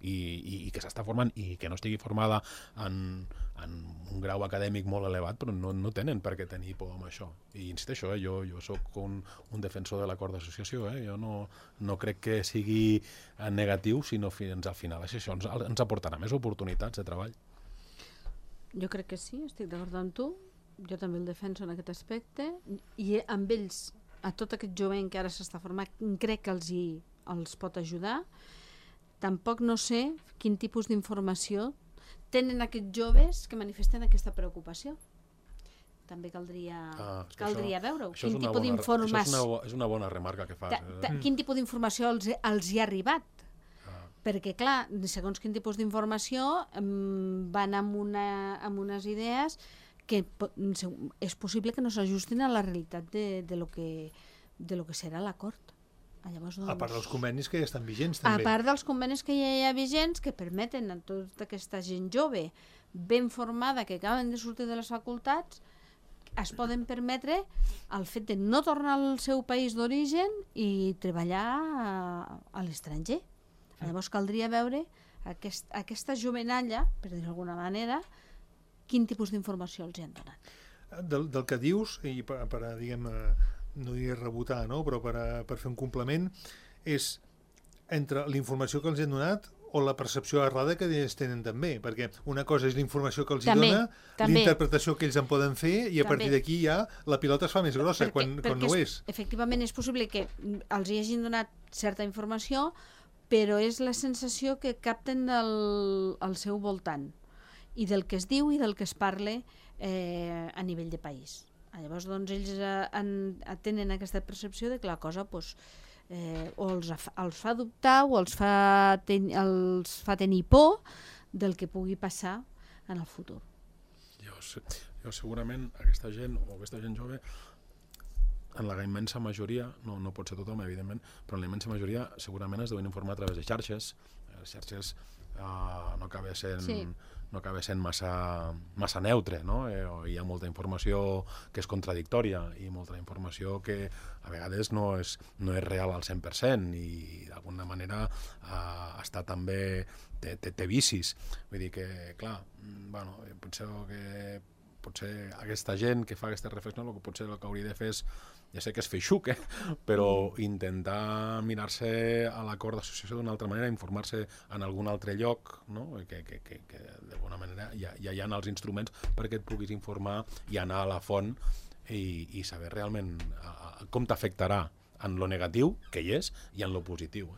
i que s'està formant i que no estigui formada en un grau acadèmic molt elevat, però no tenen per què tenir por amb això. I insisteixo, jo sóc un defensor de l'acord d'associació, jo no crec que sigui negatiu, sinó fins al final això ens aportarà més oportunitats de treball. Jo crec que sí, estic d'acord amb tu. Jo també el defenso en aquest aspecte. I amb ells, a tot aquest jovent que ara s'està formant, crec que els pot ajudar. Tampoc no sé quin tipus d'informació tenen aquests joves que manifesten aquesta preocupació. També caldria veure-ho. Quin tipus d'informació... És una bona remarca que fas. Quin tipus d'informació els hi ha arribat? Perquè, clar, segons quin tipus d'informació van amb unes idees que és possible que no s'ajustin a la realitat de lo que serà l'acord. A part dels convenis que ja estan vigents, també. A part dels convenis que ja hi ha vigents, que permeten a tota aquesta gent jove, ben formada, que acaben de sortir de les facultats, es poden permetre el fet de no tornar al seu país d'origen i treballar a l'estranger. Llavors caldria veure aquesta jovenalla, per dir d'alguna manera, quin tipus d'informació els han donat. Del que dius, i per diguem, no diré rebotar, no? Però per fer un complement, és entre la informació que els han donat o la percepció errada que ells tenen també, perquè una cosa és la informació que els dona, l'interpretació que ells en poden fer, i a partir d'aquí ja la pilota es fa més grossa, quan no ho és. Efectivament, és possible que els hi hagin donat certa informació, però és la sensació que capten al seu voltant, i del que es diu i del que es parla a nivell de país. Llavors, doncs, ells tenen aquesta percepció de que la cosa o els fa dubtar o els fa tenir por del que pugui passar en el futur. Jo segurament aquesta gent jove, en la immensa majoria, no pot ser tothom, evidentment, però en la immensa majoria segurament es deuen informar a través de xarxes. Les xarxes no acaba sent massa neutre, no? Hi ha molta informació que és contradictòria i molta informació que a vegades no és real al 100% i d'alguna manera està també té vicis. Vull dir que, clar, potser aquesta gent que fa aquesta reflexió el que hauria de fer és, ja sé que és feixuc, però intentar mirar-se a l'acord d'associació d'una altra manera, informar-se en algun altre lloc, no? que d'alguna manera ja hi ha els instruments perquè et puguis informar i anar a la font i saber realment com t'afectarà en lo negatiu, que hi és, i en lo positiu.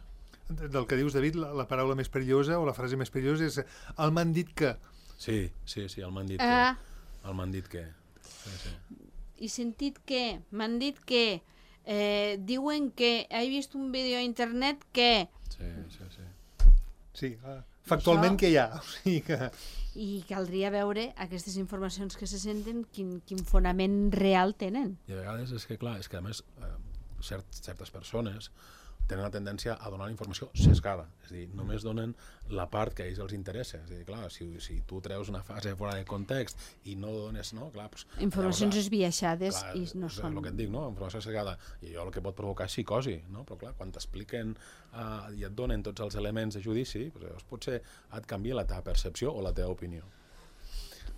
Del que dius, David, la paraula més perillosa o la frase més perillosa és el m'han dit que. Sí, el m'han dit que. El m'han dit que. Sí. I sentit que, m'han dit que, diuen que, he vist un vídeo a internet que... Sí, factualment que hi ha. O sigui que... I caldria veure aquestes informacions que se senten, quin fonament real tenen. I a vegades és que, clar, a més, certes persones tenen la tendència a donar informació sesgada, és a dir, només donen la part que a ells els interessa. És a dir, clar, si tu treus una frase fora de context i no dones, no? Clar, informacions esbiaixades i no són... És el que et dic, no? Informació sesgada. I allò el que pot provocar és psicosi, no? Però clar, quan t'expliquen i et donen tots els elements de judici, llavors potser et canvia la teva percepció o la teva opinió.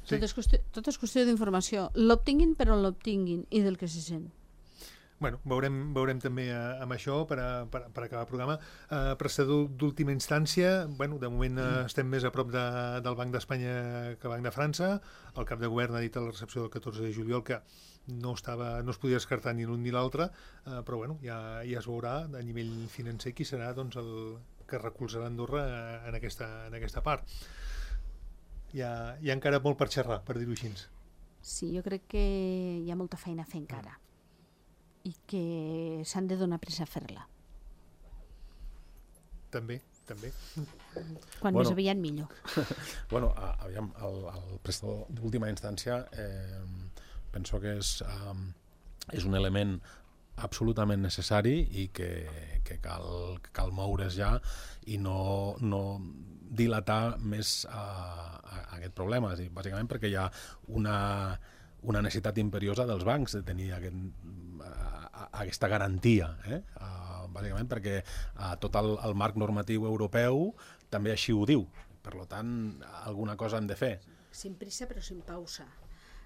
Sí. Tot és qüestió d'informació. L'obtinguin per on l'obtinguin i del que se sent. Bueno, veurem també amb això per acabar el programa. Prestador d'última instància, bueno, de moment estem més a prop del Banc d'Espanya que Banc de França. El cap de govern ha dit a la recepció del 14 de juliol que no es podia descartar ni l'un ni l'altre, però bueno, ja es veurà a nivell financer qui serà doncs, el que recolzarà Andorra en aquesta part. Hi ha encara molt per xerrar, per dir-ho així. Sí, jo crec que hi ha molta feina a fer encara. I que s'han de donar pressa a fer-la. També. Quan més aviat millor. Bueno, aviam, el prestador d'última instància penso que és un element absolutament necessari i que cal moure's ja i no dilatar més aquest problema. És dir, bàsicament perquè hi ha una necessitat imperiosa dels bancs de tenir aquesta garantia, bàsicament perquè tot el marc normatiu europeu també així ho diu. Per tant, alguna cosa hem de fer. Sin prisa però sin pausa,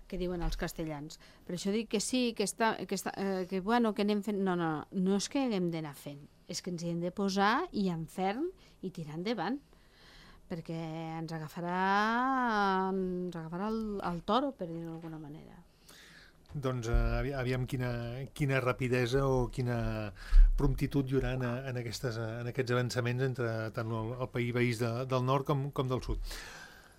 que diuen els castellans. Per això dic que sí, que anem fent... No és que haguem d'anar fent, és que ens hi hem de posar i en ferm i tirar endavant. perquè ens agafarà el toro, per dir-ho d'alguna manera. Doncs aviam quina rapidesa o quina promptitud hi haurà en aquests avançaments entre tant el país del nord com del sud.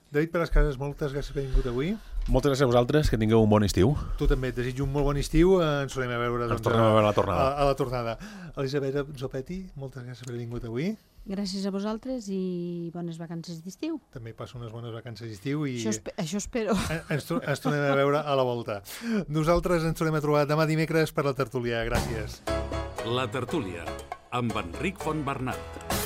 David Pelascases, moltes gràcies per haver vingut avui. Moltes gràcies a vosaltres, que tingueu un bon estiu. Tu també, et desitjo un molt bon estiu. Ens tornem a veure, Ens tornem a veure a la tornada. A la tornada. Elisabet Zopetti, moltes gràcies per haver vingut avui. Gràcies a vosaltres i bones vacances d'estiu. També passo unes bones vacances d'estiu. Això espero. Ens tornem a veure a la volta. Nosaltres ens tornem a trobar demà dimecres per la tertúlia. Gràcies. La tertúlia, amb Enric Fontbernat.